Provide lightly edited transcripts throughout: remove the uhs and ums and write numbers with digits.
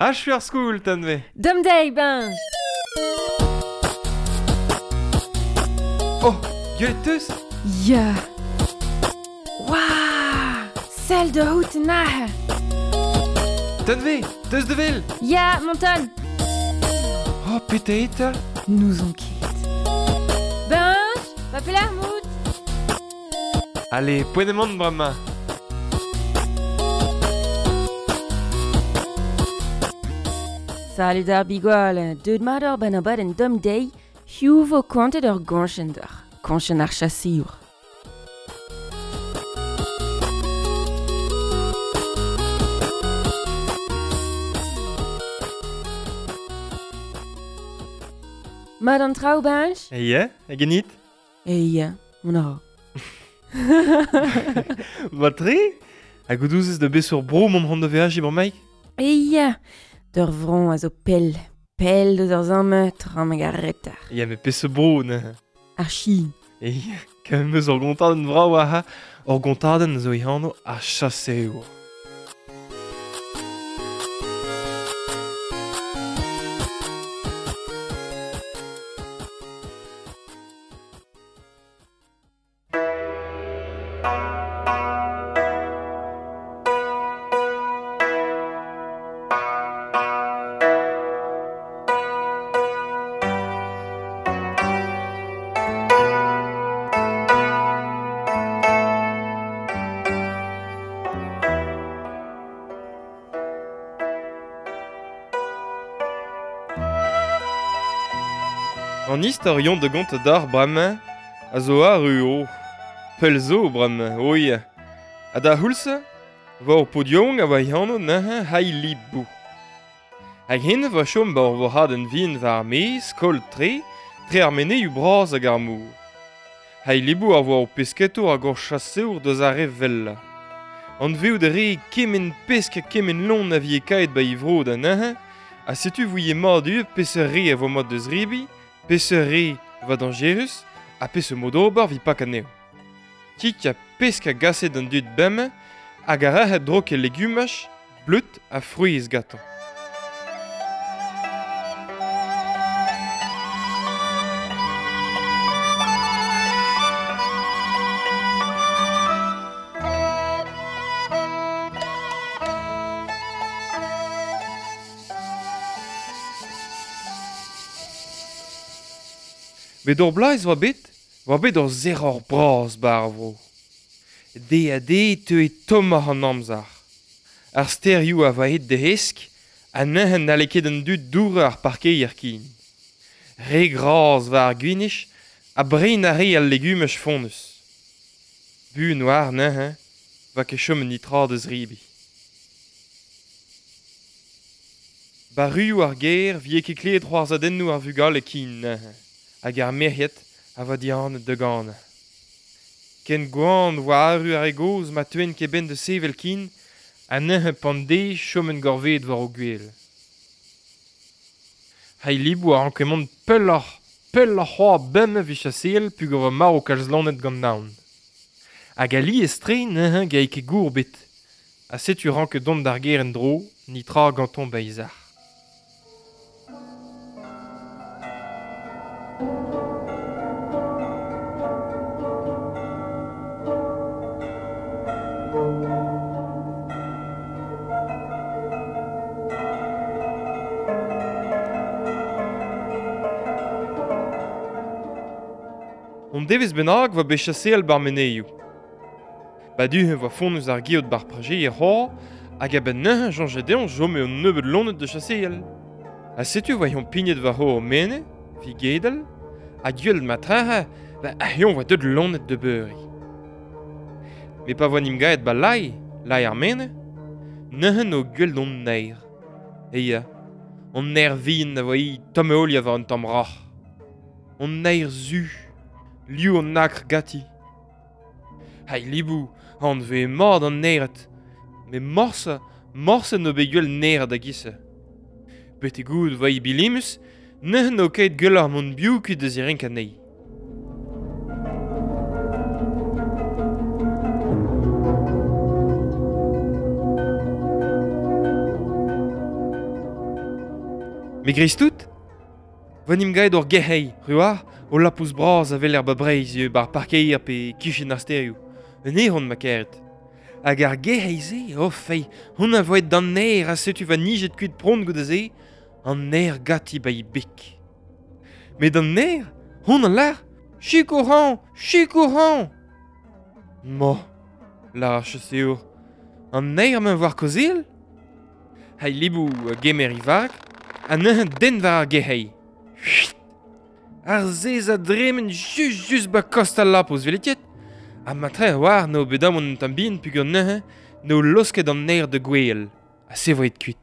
Achu ar skol, Tanve. Dom deiz, Benj. Oh, gwelet teus? Ya. Waouh Sell da out aze. Tanve, teus de vel? Ya, Monton. Oh, petra eo 'ta? N'ouzon ket. Benj, va pelec'h 'mout? Allez, poent eo mont bremañ. Salud ar bigwal, deuet mat oc'h 'benn abadenn domm dezhi, hiziv 'vo kontet ur goñchenn deoc'h, koñchenn ar chaseour. Mat an traoù, Benj? Ya, hag ganit? Ya, mont a ra. Mat-tre? Hag out ouzez da beseurt bro mont c'hoant da veajiñ bremaik? Ya, d'ur vro a zo pell, pell deus ar samm trameg ar reter. Ya, met peseurt bro neuze? Ar Chin. Ya, kavet 'm eus ur gontadenn vrav aze. Ur gontadenn zo he anv ar chaseour. An istorion da gontañ deoc'h bremañ a zo arru o pell zo bremañ, o ya. Ha da c'houlz-se 'vo ur paotr yaouank a oa e anv neuze Hailibou. Hag hen 'vo chom 'ba ur vorc'hadenn vihan war ar maez, skol-tre, tre ar menezioù bras hag ar mor. Hailibou a voa ur pesketour hag ur chaseour deus ar re wellañ. Anveout a rae kement pesk ha kement loen a vije kaet 'ba e vro da neuze, ha setu 'vouie mat ivez peseurt re a vo mat da zebriñ, peseurt re 'vo dañjerus ha peseurt mod ober 'vit pakañ anezho. Kig ha pesk a gase d'an dud bemdez hag a rae drouk e legumaj, bleud ha frouezh gantañ. Met ur bloaz 'oa bet 'oa bet ur sec'hor bras 'ba ar vro. Deiz-ha-deiz e teue tommoc'h an amzer. Ar stêrioù a oa aet da hesk ha neuze n'halle ket an dud dourañ ar parkeier ken. Re gras war ar gwinizh ha brein a rae al legumaj fonnus. Buan 'oar neuze 'oa ket chomet netra da zebriñ. 'Ba ruioù ar gêr 'vije ket klevet c'hoarzhadennoù ar vugale ken neuze hag ar merc'hed a oa dihanet da ganañ. Ken gwan 'oa arru ar re gozh ma teuent ket 'benn da sevel ken ha neuze pan deiz choment gorveet war o gwele. Hailibou a ranke mont pelloc'h, pelloc'h c'hoazh bemdez evit chaseal peogwir 'oa marv kalz loened gant naon. Hag alies-tre neuze 'gae ket gour ebet ha setu ranket dont d'ar gêr en-dro, netra gantañ 'ba e sac'h. Un devezh bennak 'oa bet chaseal 'bar menezioù. Ba du-hont 'oa fonnus ar geot 'bar prajeier c'hoazh hag a-benn neuze 'soñje dezhañ 'chome un nebeud loened da chaseal. Ha setu 'oa eñ pignet war ur menez, 'vit gedal, ha gwell ma trec'he, ba eñ 'oa deuet loened da beuriñ. Met pa voa 'n em gaet 'ba lae, lae ar menez, neuze 'no gwellet hon naer. Ya, hon naer vihan a oa hi tomm-heoliañ war un tamm roc'h. Hon naer zu, liv an akr ganti. Hailibou, anvez mat an naered. Met morse, morse n'eo bet gwell naered a-giz-se. Betek-goût 'oa hi bilimus, neuze n'eo ket gwelloc'h mont biv kuit da zirenkañ anezhi. Me greiz-tout, vo 'n em gaet ur gerc'hei, ruar, o lapous bras a weler ba Breizh eo bar parkeier pe kichen ar stêrioù. Un eron ma karet. Hag ar gerc'hei-se, oh fei, hon a voet d'an aer ha setu va nijet kuit pront goude-se, an aer gati ba i bek. Met an aer, hon a lar, Sikour-hañ, sikour-hañ ! Ma, lar ar chaseour, an aer-mañ war kaozeal ? Hay libou a gemer e vag, ha neuze den war ar gerc'hei. Ar sez a dremen just just ba kost al lapous, welet ket ? Ha matre a-walc'h n'eo bet amañ un tamm bihan peogwir neuze n'eo laosket an aer da gouezhal, ha se vo aet kuit.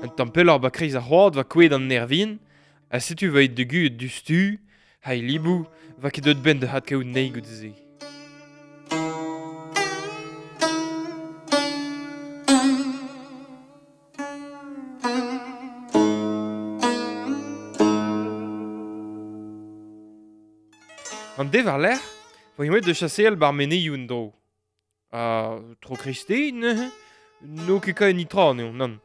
Un tamm pelloc'h ba kreiz ar c'hoad 'oa kouezhet an aer vihan, ha setu 'oa aet da guzhat diouzhtu, ha e libou 'oa ket deuet 'benn da adkaout anezhi goude-se. An deiz war-lerc'h 'voe aet da chaseal 'bar menezioù en-dro. Ha tro kreisteiz neuze n'eo ket kae netra anezhañ, nann.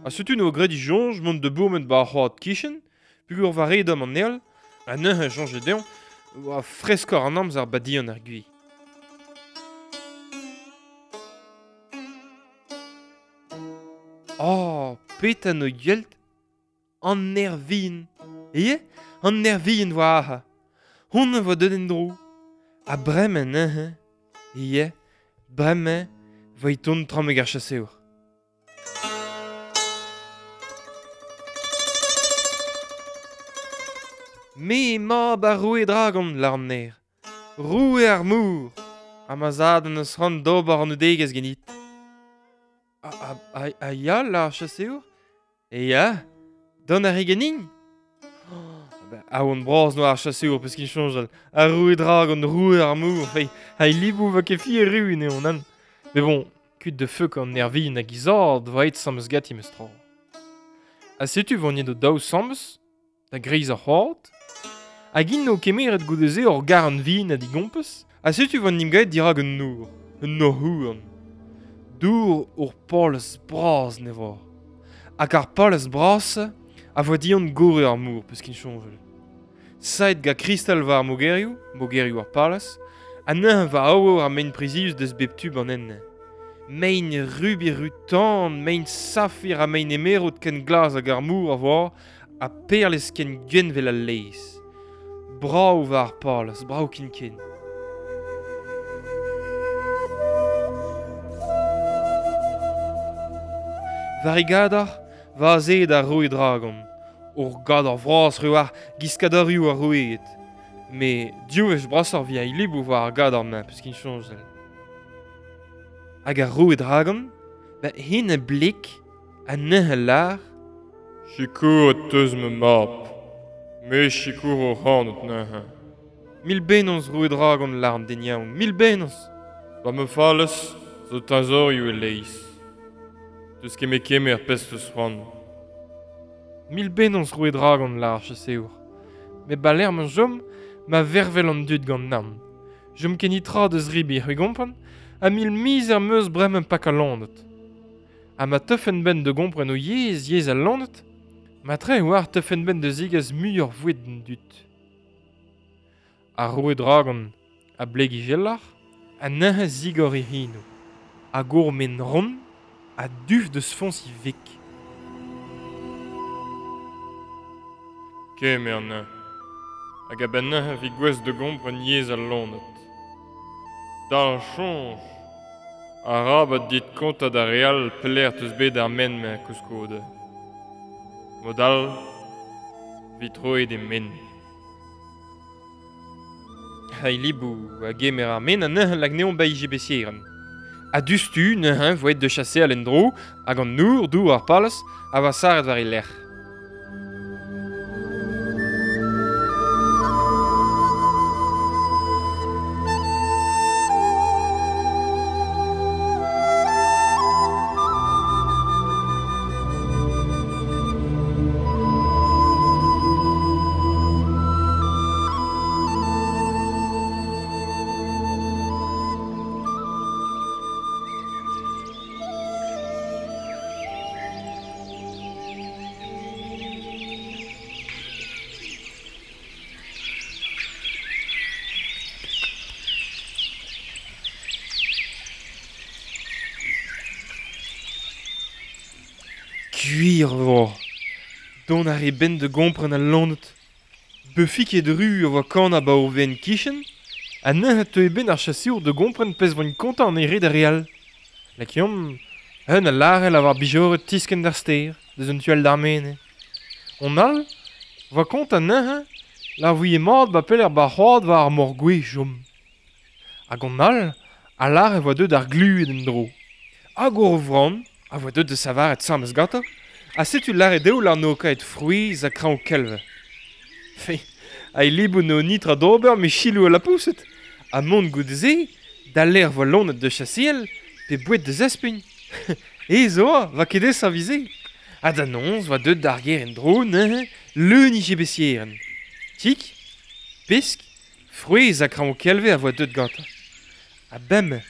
Ha setu 'noa graet e soñj mont da bourmen 'ba ar c'hoad 'kichen, peogwir war red-tomm an heol, ha neuze 'soñje dezhañ 'oa freskoc'h an amzer 'ba dihan ar gwez. Oh, petra 'noa gwel't ? An aer vihan. Ya, an aer vihan 'oa aze. Honnezh 'oa deuet en-dro. Ha bremañ neuze, ya, bremañ 'vo e tont tramek ar chaseour. Me eo mab ar roue Dragon, lâr an naer. Roue ar mor. Ha ma zad en deus c'hoant d'ober anaoudegezh ganit. Ha ya, lâr ar chaseour. Ya, dont a ri ganin ? Aon bras 'noa ar chaseour peus ket soñjal. Ar roue Dragon, roue ar mor, fei, ha e livoù 'vo ket fier erru anezhañ, nann. Met bon, kuit da feukañ an nervin hag he zad 'vo aet sammez ganti memes tra. Ha setu 'vo o daou sammez, da greiz ar c'hoad, hag int o kemeret goude-se ur garn vin ha digompez, ha setu 'vo 'n em gaet dirak un nor, un nor-houarn. Dour ur palez bras ne vo. Hag ar palez bras-se a vo dihan gorre ar mor, peus ket soñjal. Saet gant kristal war ar mogerioù, mogerioù ar palez, ha neuze war aour ar mein prizius deus bep tu ban enne. Mein rubi ru-tan, mein safir ha mein emerod ken glas hag ar mor a voa, ha perlez ken gwenn 'vel al laezh. Brav war ar palez, brav ken-ken. War e gador, va azeet ar roue Dragon. Ur gador vras war giskadorioù ar roueed. Met div wech brasoc'h 'vit al liboù war ar gador-mañ, peus ket soñjal. Hag ar roue Dragon, ba hen a bleg ha neuze a lâr Sikouret 'teus ma mab. Me 'sikouro ac'hanout neuze. Mil bennozh roue Dragon, lâr an den yaouank, mil bennozh ! Ba ma falez zo teñzorioù e-leizh. 'Teus ket met kemer pezh 'teus c'hoant. Mil bennozh roue Dragon, lâr ar chaseour. Met ba lec'h ma chom, ma vervel an dud gant naon. Chom ket netra da zebriñ, c'hwi 'gompren, ha mil mizer 'm eus bremañ pakañ loened. Ha ma teufen 'benn da gompren o yezh, yezh al loened, matre e oar teufen 'benn da zegas muioc'h boued d'an dud. Ar roue Dragon a bleg e jeloc'h ha neuze zigor e c'henoù. Hag ur men ront a duf deus foñs e veg. Kemer anezhañ. Hag a-benn neuze 'vi gouest da gompren yezh al loened. Dalc'h soñj ! Arabat dit kontañ d'ar re all pelec'h 'teus bet ar men-mañ koulskoude. Mod all 'vi troet e men. Ha e liboù a gemer ar men ha neuze lak anezhañ 'ba e jebesierenn. Ha diouzhtu neuze 'vo aet da chaseal en-dro hag an nour, dour ar palez, a oa sarret war e lerc'h. Gwir vo. Dont ar e ben de gompren al lonet. Beufiket ru a voa kan a ba o ven kichen, ha neuze teu e ben ar chaseour de gompren pezh voint kontañ an ere da real. Lakeomp, un a larel a war bijoret tisken d'ar ster, deus un tual d'ar mene. On all, voa kontañ neuze, la voie mat ba peler ba c'hoad war ar mor gwe jom. Hag on all, a lar e voa deut ar glued en dro. Hag ur vran, a voa deut de savaret samez gantañ, ha setu lare deo lar no kaet frouezh ha kraoñ kelve. Fe, a libou no nitra d'ober me chilou a lapoused, ha mont goude-se, da l'air voa lonet de chasseel, pe bouet de zespugn. E zo, va ket ez avize. Ha da nonz va deut d'ar ger en dro neuze, leun ije besieren. Tik, pesk, frouezh ha kraoñ kelve a voa deut gantañ. Ha bem,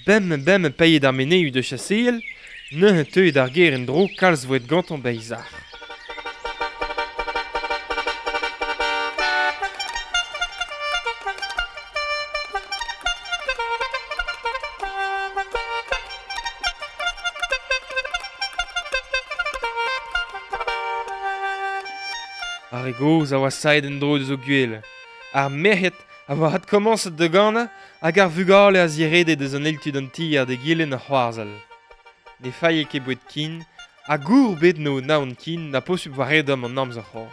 bem bem paeet ar meneu de chasseel, neuze teuet d'ar ger en dro kalz voet gantañ beizar. Ar re gozh a oa saet en dro deus o gwele. Ar merc'hed a oa adkomañset da ganañ hag ar vugale a zirede deus an eil tu d'an tier da gilen ar c'hoarzhal. Ne failhe ket boued kin, ha gour bet no naon kin na posupl war edom an amzer c'hoar.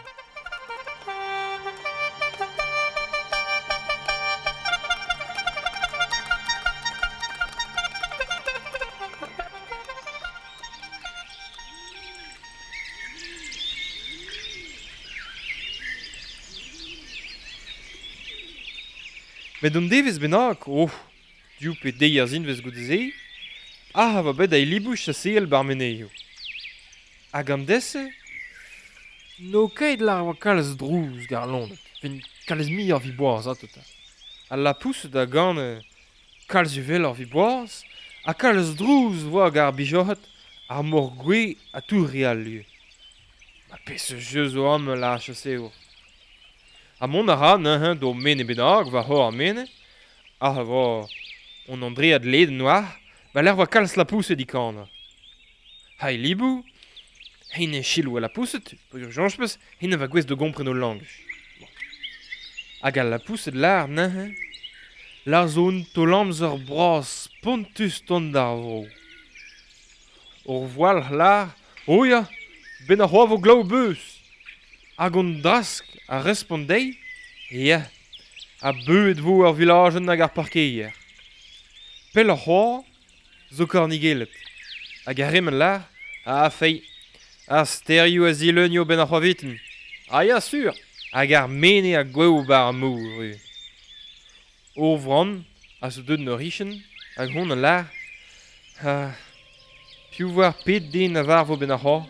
Met an devezh bennak, oh, div pe deir zinvez goude-se, ah a va bet a libou chaseal bar menezioù. Hag an dese, n'o ket lar oa kalz drouz gar lonet, vin kalz mi ar vi boaz atota. Al lapoused a gane kalz uvel ar vi boaz, ha kalz drouz voa gar bijoc'het ar mor gwe a tour real lieu. Ma pese jeu zo am la chaseour. Ha mont a ra neuze d'o mene bennak war hor ar mene, ah a vo on Andread led noir, ba l'air voa kalz lapoused i kana. Ha e libou, hein e chilou a lapoused, peogwir soñj peus, hein a va gouest da gompren o langaj. Bon. Hag al lapoused lar neuze, lar zo un taol amzer bras spontus tont d'ar vro. Ur voalc'h lar, o ya, ben ar c'hoa vo glav beuz. Hag on drask a respont dezhi, ya, ha beuet vo ar vilajenn hag ar parkeier. Pell ar c'hoa zo kornigellet. Hag ar remen lar, a fei, ar sterioù a zileunio ben ar c'hoaviten. Ah ya, sur, hag ar mene a gwev bar ar mor. Ur vran a zo deut n'ur richen, hag hon a lar, ha piv war pet den a varvo ben ar c'hoa.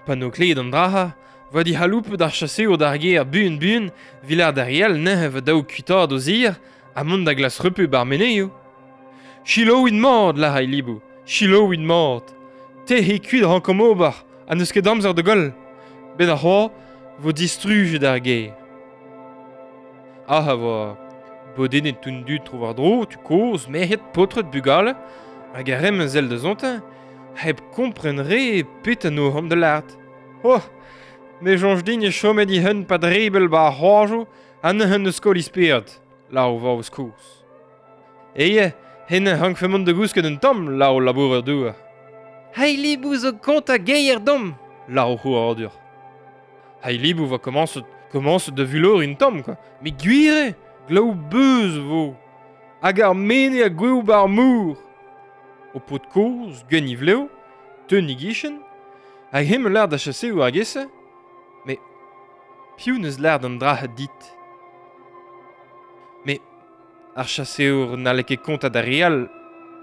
Pa n'o kleet an draha, va di c'haloupe d'ar chaseour d'ar ger buan buan, vilar d'ar real neuze va daou kuitaat o zir, ha mont da glas repu bar menezioù. Chiloùit mat, lar a libou, chiloùit mat. Te he kuit rankomp ober, ha n'eus ket amzer da goll. Bet ar c'hoa vo distrujet ar ger. Ah a voa bodennet toun dud tro war dro, tu kozh, merc'hed, paotred, bugale, hag ar rem zel da zontañ, hep kompren re pet an o da lart. Oh, me soñj din e chomet i hun pa drebel ba ar c'hoajoù ha neuze eus skol ispered, la o vaoz kozh. Eye, hen hankfe mont da gousket un tamm, la o labourer douar. Hei libou zo kont a geier dom, la o c'houardur. Hei libou va komañset da vulor un tamm, quoi. Me gwir eo, glav beuz vo. Hag ar mene a gwev bar mour. O paotr kozh, gwenn ivleo, teun i gichen, hag hem lar da chaseoù ar gese, me piv neus lar d'an dra dit. Me ar chaseour n'halle ket kontañ d'ar re all,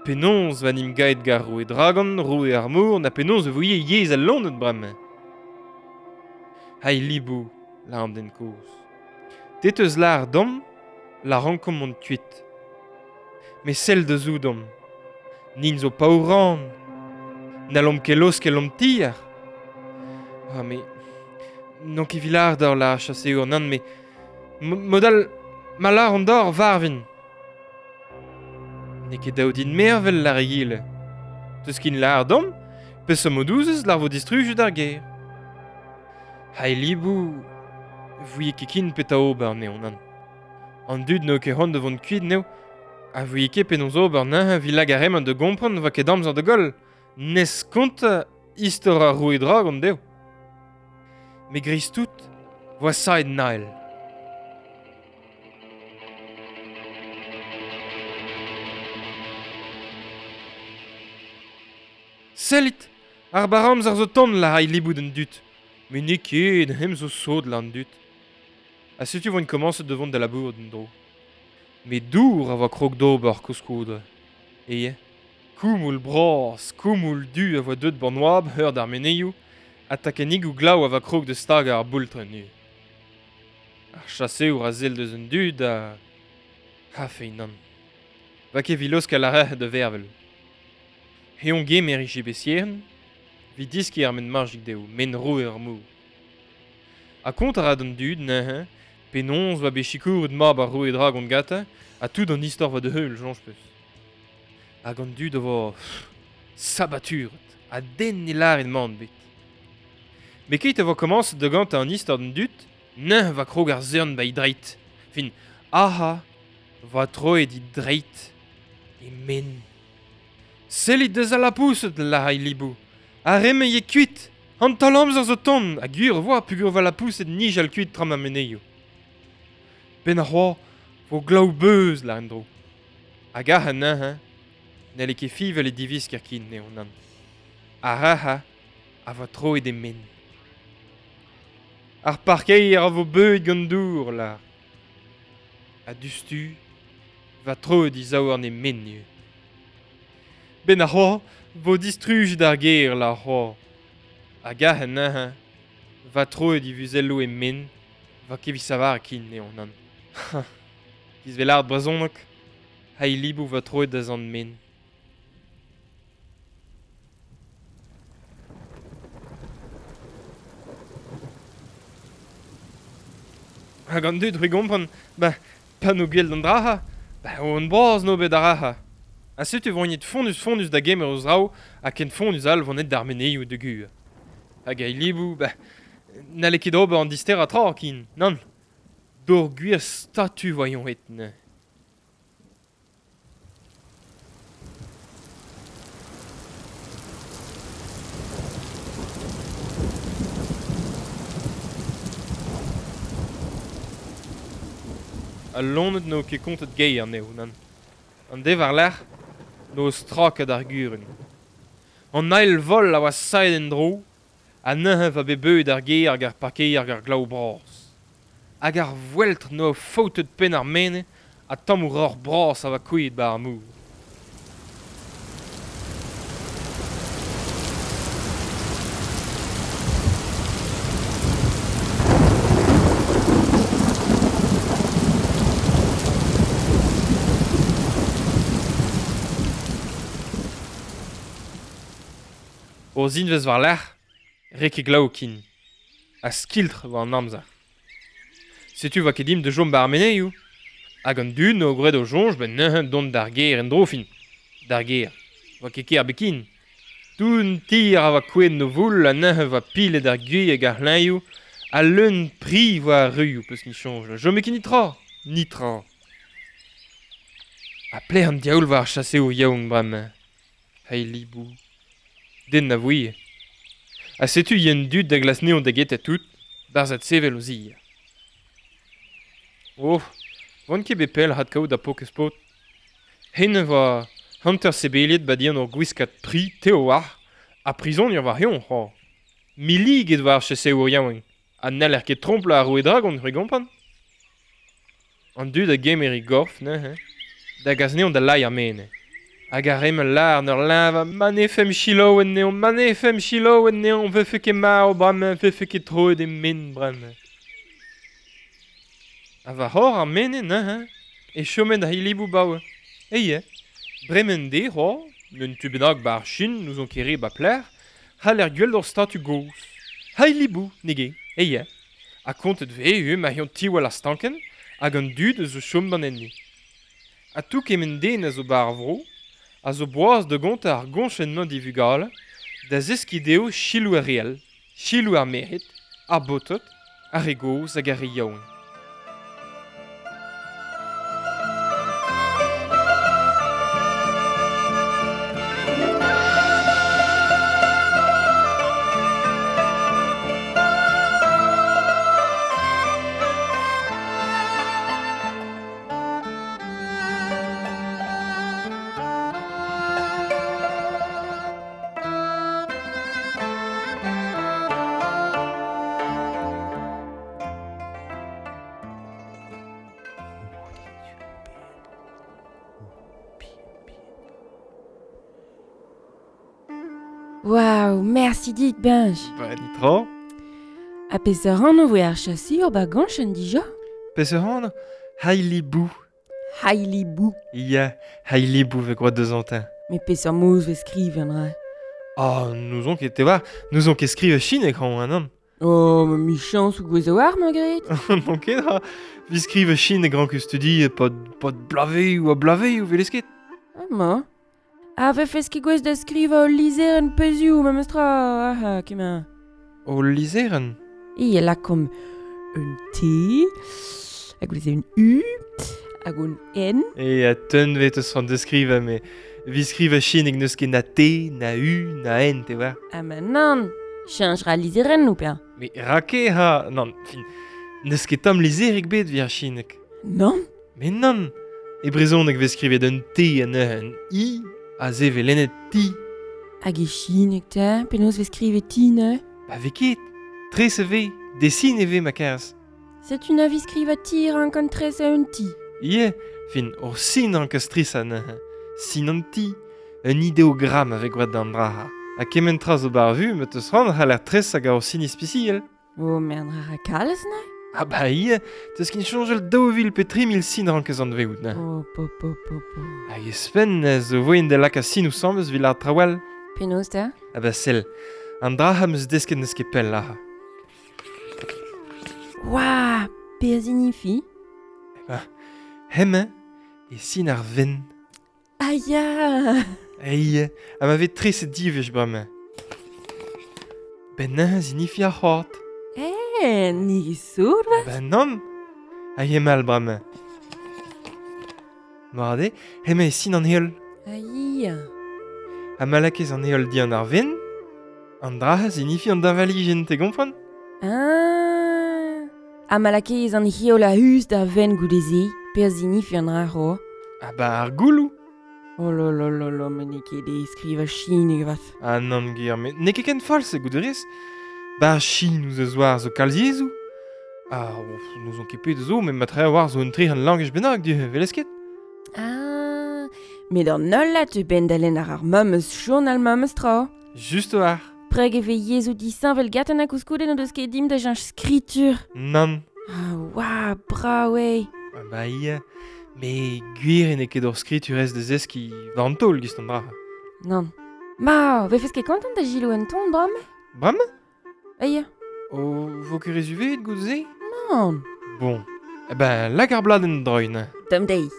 penaos va nim gaet gar roue dragon, roue ar mor, na penaos e voie yezh al lonet bremañ. Hai libou, la an den kozh. Te teus lar dom, la rankomp mont kuit. Me sell da zoudom. Nin zo paouran. N'hallomp ket laoskel omp tier. Ah, me... N'on ket vilar d'ar la chaseour, nann, me... Modal... Ma lar an d'or varvin. N'eo ket dav din mervel lar egile. Teus kin lar dom, peseurt mod ouzez lar vo distrujet ar gêr. Hai libou, vouie ket kin petra ober neo nan. An dud n'eo ket c'hoant da vont kuit neo, a vouie ket penaos ober neuze evit lak ar re-mañ da gompren va ket amzer da goll. Nes kontañ istor ar roue dragon dezho. Met dreist-tout 'voa saet Nael. Sellit, ar barr-amzer zo tont lâr libout an dud. Met n'eo ket, hem zo sot lâr an dud. Ha setu 'voint komañset da vont da labourat en-dro. Met dour a oa krog d'ober koulskoude. E koumoul bras, koumoul du a voa deuet ba'n oabl eur d'ar menezioù, ha takennigoù glav a voa krog da stagañ ar boultrenn neuze. Ar chaseour a sell deus an dud ha... Ha feiz nann. Va ket evit laoskel ar rec'hed da vervel. Eñ gemer e jebesierenn evit deskiñ ar men majik dezho, men roue ar mor. Ha kont a ra d'an dud neuze penaos 'oa bet sikouret mab ar roue dragon gantañ ha tout an istor 'oa da heul, soñj 'peus. Hag an dud a vo sabaturet ha den ne lâret mann ebet. Met keit a vo komañset da gantañ an istor d'an dud, neuze 'va krog ar zorn 'ba e dreid. Fin, aha, 'voa troet e dreid e men. Sellit deus al lapoused, lâr Libou. Ar re-mañ eo kuit. An taol-amzer zo tont, ha gwir e voa peogwir 'oa lapoused nijal kuit tra ma menezioù. Benn ar c'hoaz 'vo glav-beuz, lâr en-dro. Hag ac'h neuze n'halle ket fiñval e divisker ken eo nann. Ar ac'h a voa troet e men. Ar parkeier a vo beuet gant dour, lâr. Ha diouzhtu 'va troet e zaouarn e men ivez. Benn ar c'hoaz 'vo distrujet ar gêr, lâr c'hoaz. Hag ac'h neuze 'va troet e vuzelloù e men, 'va ket evit savar ken eo nann. Giz 'vez lâret brezhoneg, ha e liboù 'va troet da zant men. Hag an dud c'hwi gompren, ba pa n'o gwell d'an dra-ha, ba on bras n'o bet ar ra-ha. Ha setu vonet fonnus-fonnus da gemer o zraoù ha ken fonnus all vonet d'ar menezioù da gu. Hag a liboù, ba n'halle ket ober an disterañ tra ken, nann. D'hor gwir statu voyons het neuze. Al loened n'eo ket kontet gae anezho, nann. An deiz war-lerc'h n'o straket ar gurun. An eil vol a oa saet en-dro, ha neuze 'oa bet beuet ar gêr hag ar parkeier hag ar glav bras. Hag ar voeltr 'noa faoutet penn ar menez ha tammoù roc'h bras a oa kouezhet 'ba ar mor. Ur zinvezh war-lerc'h, 're ket glav ken. Ha skiltr 'oa an amzer. Setu 'oa ket dimp da chom 'ba ar menezioù. Hag an dud 'noa graet o soñj 'benn neuze dont d'ar gêr en-dro fin. D'ar gêr. 'Oa ket ker bet ken. Tout an tier a oa kouezhet 'n o voul ha neuze 'oa pilet ar gwez hag ar c'hleñioù ha leun pri 'oa ar ruioù peus ket soñj. Chome ket netra. Netra. Ha pelec'h an diaoul 'oa ar chaseour yaouank bremañ? Hey libou. Den na vouie. Ha setu yen dud da glask anezhañ da getañ tout, 'barzh adsevel o zi. Oh, 'oan ket bet pell adkaout ar paourkaezh paotr. Hennezh 'oa hanter sebeliet 'ba dindan ur gwiskad pri tev a-walc'h ha prizonier war eon c'hoazh. Milliget 'oa ar chaseour yaouank ha n'haller ket tromplañ ar roue dragon, c'hwi gompren? An dud a gemer e gorf neuze da gas anezhañ da lailh ar menez. Hag ar re-mañ lâr 'n ur leñvañ ma ne femp selaou anezhañ, ma ne femp selaou anezhañ, 'vefe ket marv bremañ, 'vefe ket troet e men bremañ. Ha war-c'horre ar menez neuze e chomet ar hiliboù 'baoe. Eie, bremañ dezhe c'hoazh, un tu bennak 'ba ar Chin, n'ouzon ket re 'ba pelec'h, c'haller gwel't ur statu gozh. Hailibou, n'eo ket, eie. Ha kontet 'vez ivez ma c'heont tiwall ar stankenn Hag an dud a zo chom ban enni. Ha tou kement den a zo bar vro, a zo boaz da gontañ ar goñchenn-mañ d'e vugale, da zeskiñ dezho selaou ar re all, selaou ar merc'hed, ar baotred, ar re gozh hag ar re yaouank. Waouh, mersi dit, Benj. Ba, nitra. Ha peseurt anv voe ar chaseour ba gañchenn dija? Peseurt anv? Hailibou. Hailibou. Ya, Hailibou vez gwraet deus antañ. Met peseurt moz vez skrivet an dra? Ah, n'ouzon ket, te war, n'ouzon ket skrivañ chineg, hañ, nann. Oh, ma michañs ou gwez a-walc'h, ma gret. N'on ket, ha. Vi skrivañ chineg rank studi pad, pad blavezioù ha blavezioù, velez ket. Amañ. Ha vefes ket gouest da skrivañ ul lizherenn pezhioù memestra, ah, kement. Ul lizherenn? E lakaomp un T, hag goude un U, hag un N. E a teun vet eus an deskrivañ, met vi skrivañ chineg n'eus ket na T, na U, na N, te war. Ah ma nann, cheñch ra lizherennoù, peñ. Mais rake ha, nann, fin, n'eus ket tamm lizherig bet vi ar chineg. Nann? Mais nann, e brezhoneg vez skrivet un T ha neuze un I, Aze vez lennet ti. Hag e chineg 'ta, penaos vez skrivet ti neuze? Ba vez ket. Tres e vez, desin e vez ma kerz. Setu na vez skrivañ ti rank an tresañ un ti. Ie, fin, ur sin rank stresañ neuze. Sin an ti. Un ideogramm a vez gwraet d'an dra. Ha kement tra zo bar vu ma teus c'hoant c'haller tresañ gant ur sin ispisial. Oh, mern a ra kalz neuze? Ah bah ie, teus ket soñjal 2000 pe 3000 sin rankez anveout neuze. Oh, po, po, po, po. Hag ouzhpenn zo voen da lakaat sinoù sammez evit lâret traoù all. Penaos 'ta? Ah bah sell, an dra am eus desket n'eus ket pell aze. Oua, pe a zinifi? Eh ben, hemañ e sin ar venn. Ah ya! Ei, ha ma vez treset diwech bremañ. Ben neuze zinifi ar c'hoad. Eh, ni sot va? Ben nann! Hag emañ bremañ. Mar eo, hemañ e sin an heol. Ah ya! Ha ma lakaez an heol dian ar ven, an dra zinifi an deñvalijenn, te gompren? Ah! Ha ma lakaez an heol a-us d'ar ven goude-se, pe a zinifi an dra c'ho? Ah bah ar gouloù. Oh là là là là, met n'eo ket aes skrivañ chineg avat. Ah nann ger, met n'eo ket ken fall-se goude rez. Ba ar Chin ouzh a zoar zo kalz yezhoù. Ah, n'ouzon ket pet zo, met matre a-walc'h zo un trec'h langaj bennak du, 'welez ket? Ah, met an holl a teu benn da lenn ar ar memes journal memes tra. Just a-walc'h. Preg e vez yezhoù disheñvel gantañ ha koulskoude n'o deus ket dimp da cheñch skritur. Nann. Ah, oa, brav eo. Ah bah ya, met gwir eo n'eo ket hor skritur aes da zeskiñ war an taol gist an dra. Nann. Ma, vefes ket kontant da selaou un ton bremañ? Bremañ? Ah ya. O vo ket re zuveet goude-se? Nann. Bon, eh ben lak ar bladenn droiñ neuze. Tomm dezhi.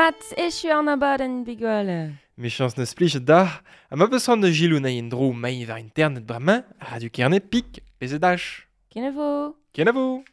Mat, echu an abadenn bigwale. Mechañs neus plijet d'ar, ha ma peus c'hoant da gilou na'i en dro maiñ war internet bremañ, Radio Kerne pik, PZH. Kenavo. Kenavo.